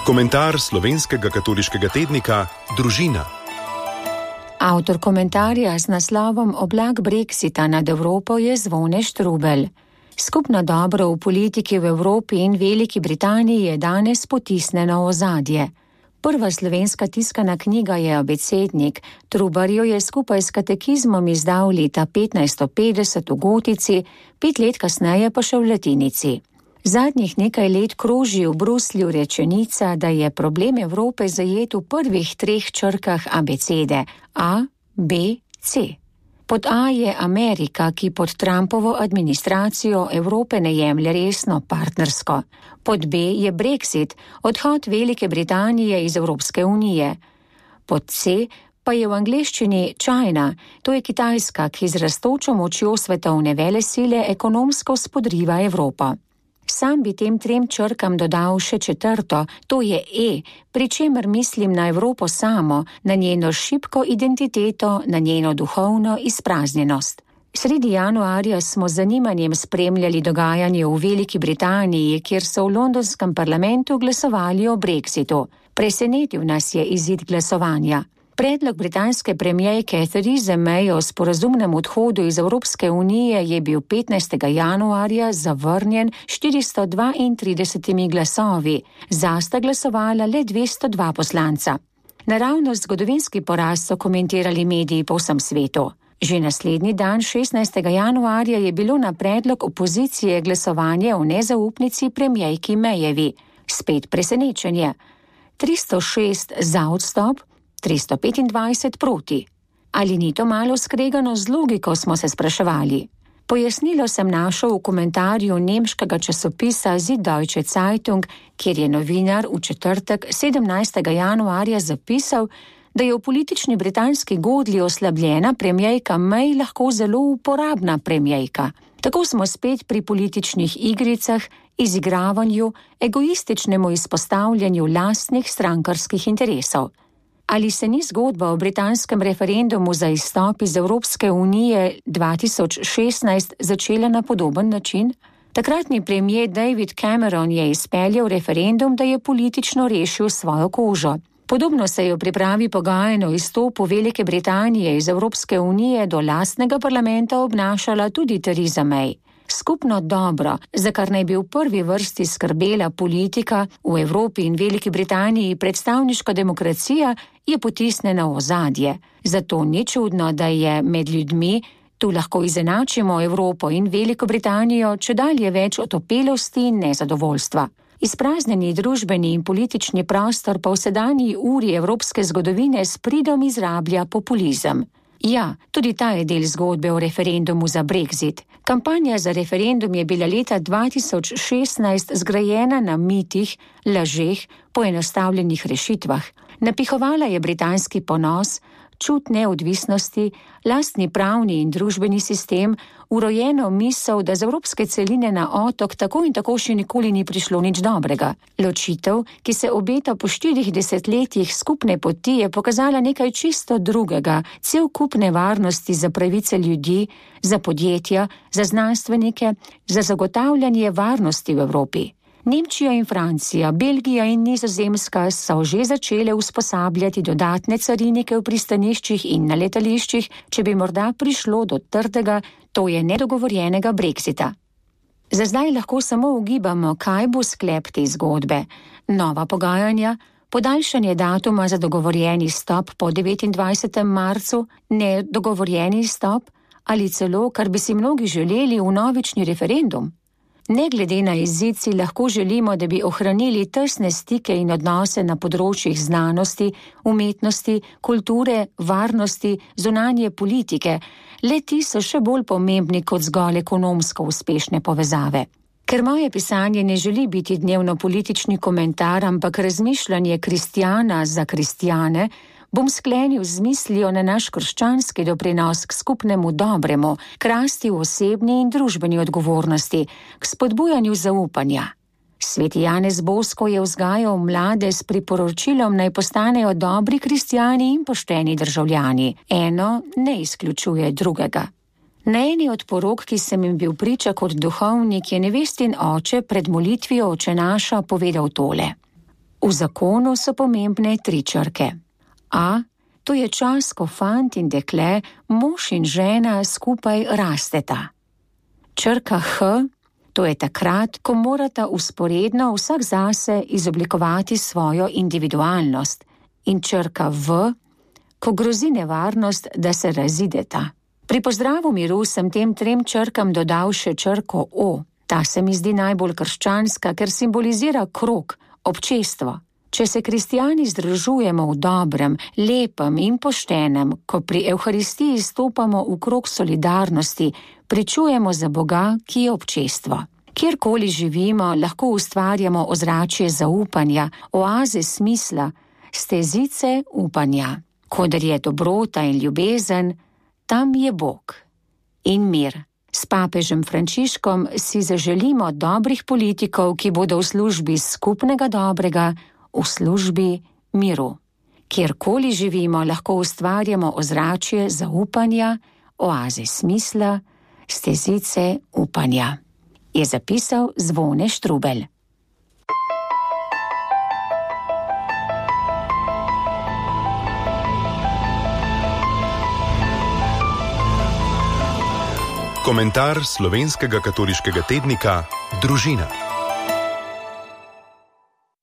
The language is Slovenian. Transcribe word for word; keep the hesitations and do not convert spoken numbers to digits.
Komentar slovenskega katoliškega tednika Družina. Avtor komentarja z naslovom Oblak Brexita nad Evropo je Zvone Štrubelj. Skupno dobro v politiki v Evropi in Veliki Britaniji je danes potisnjeno v ozadje. Prva slovenska tiskana knjiga je Abecednik. Trubar jo je skupaj s katekizmom izdal leta petnajststo petdeset v gotici, pet let kasneje pa še v latinici. Zadnjih nekaj let kroži v Bruslju rečenica, da je problem Evrope zajet v prvih treh črkah abecede A, B, C. Pod A je Amerika, ki pod Trumpovo administracijo Evrope ne jemlje resno partnersko. Pod B je Brexit, odhod Velike Britanije iz Evropske unije. Pod C pa je v angleščini China, to je Kitajska, ki z rastočo močjo svetovne velesile ekonomsko spodriva Evropo. Sam bi tem trem črkam dodal še četrto, to je E, pri čemer mislim na Evropo samo, na njeno šibko identiteto, na njeno duhovno izpraznjenost. Sredi januarja smo z zanimanjem spremljali dogajanje v Veliki Britaniji, kjer so v londonskem parlamentu glasovali o Brexitu. Presenetil nas je izid glasovanja. Predlog britanske premierke Therese May o sporazumnem odhodu iz Evropske unije je bil petnajstega januarja zavrnjen štiristo dvaintrideset glasovi, za sta glasovala le dvesto dva poslanca. Naravnost zgodovinski poraz so komentirali mediji po vsem svetu. Že naslednji dan, šestnajstega januarja, je bilo na predlog opozicije glasovanje o nezaupnici premierki Mayevi. Spet presenečenje. tristo šest za odstop, tristo petindvajset proti. Ali ni to malo skregano z logiko, smo se spraševali. Pojasnilo sem našel v komentarju nemškega časopisa Süddeutsche Zeitung, kjer je novinar v četrtek sedemnajstega januarja zapisal, da je v politični britanski godlji oslabljena premierka May lahko zelo uporabna premierka. Tako smo spet pri političnih igricah, izigravanju, egoističnemu izpostavljanju lastnih strankarskih interesov. Ali se ni zgodba o britanskem referendumu za izstop iz Evropske unije dva tisoč šestnajst začela na podoben način? Takratni premier David Cameron je izpeljal referendum, da je politično rešil svojo kožo. Podobno se je v pripravi pogajanj o izstopu Velike Britanije iz Evropske unije do lastnega parlamenta obnašala tudi Theresa May. Skupno dobro, za kar naj bi v prvi vrsti skrbela politika, v Evropi in Veliki Britaniji predstavniška demokracija, je potisnjena v ozadje. Zato ni čudno, da je med ljudmi, tu lahko izenačimo Evropo in Veliko Britanijo, čedalje več otopelosti in nezadovoljstva. Izpraznjeni družbeni in politični prostor pa v sedanji uri evropske zgodovine s pridom izrablja populizem. Ja, tudi ta je del zgodbe o referendumu za Brexit. Kampanja za referendum je bila leta dva tisoč šestnajst zgrajena na mitih, lažeh, poenostavljenih rešitvah. Napihovala je britanski ponos, čut neodvisnosti, lastni pravni in družbeni sistem, urojeno misel, da z evropske celine na otok tako in tako še nikoli ni prišlo nič dobrega. Ločitev, ki se obeta po štirih desetletjih skupne poti, je pokazala nekaj čisto drugega, cel kup nevarnosti za pravice ljudi, za podjetja, za znanstvenike, za zagotavljanje varnosti v Evropi. Nemčija in Francija, Belgija in Nizozemska so že začele usposabljati dodatne carinike v pristaniščih in na letališčih, če bi morda prišlo do trdega, to je nedogovorjenega Brexita. Za zdaj lahko samo ugibamo, kaj bo sklep te zgodbe. Nova pogajanja, podaljšanje datuma za dogovorjeni stop po devetindvajsetem marcu, nedogovorjeni stop ali celo, kar bi si mnogi želeli, vnovični referendum. Ne glede na izid si lahko želimo, da bi ohranili tesne stike in odnose na področjih znanosti, umetnosti, kulture, varnosti, zunanje politike. Le ti so še bolj pomembni kot zgolj ekonomsko uspešne povezave. Ker moje pisanje ne želi biti dnevno politični komentar, ampak razmišljanje kristjana za kristjane, bom sklenil z mislijo na naš krščanski doprinos k skupnemu dobremu, k rasti v osebni in družbeni odgovornosti, k spodbujanju zaupanja. Sveti Janez Bosko je vzgajal mlade s priporočilom, naj postanejo dobri kristjani in pošteni državljani. Eno ne izključuje drugega. Na eni od porok, ki sem jim bil priča kot duhovnik, je nevestin oče pred molitvijo Oče naša povedal tole. V zakonu so pomembne tri črke. A, to je čas, ko fant in dekle, mož in žena skupaj rasteta. Črka H, to je takrat, ko morata vzporedno vsak zase izoblikovati svojo individualnost. In črka V, ko grozi nevarnost, da se razideta. Pri pozdravu miru sem tem trem črkam dodal še črko O. Ta se mi zdi najbolj krščanska, ker simbolizira krog, občestvo. Če se kristjani združujemo v dobrem, lepem in poštenem, ko pri Evharistiji stopamo v krog solidarnosti, pričujemo za Boga, ki je občestvo. Kjerkoli živimo, lahko ustvarjamo ozračje zaupanja, oaze smisla, stezice upanja. Kodar je dobrota in ljubezen, tam je Bog in mir. S papežem Frančiškom si zaželimo dobrih politikov, ki bodo v službi skupnega dobrega, v službi miru. Kjerkoli živimo, lahko ustvarjamo ozračje zaupanja, oaze smisla, stezice upanja. Je zapisal Zvone Štrubelj. Komentar slovenskega katoliškega tednika Družina.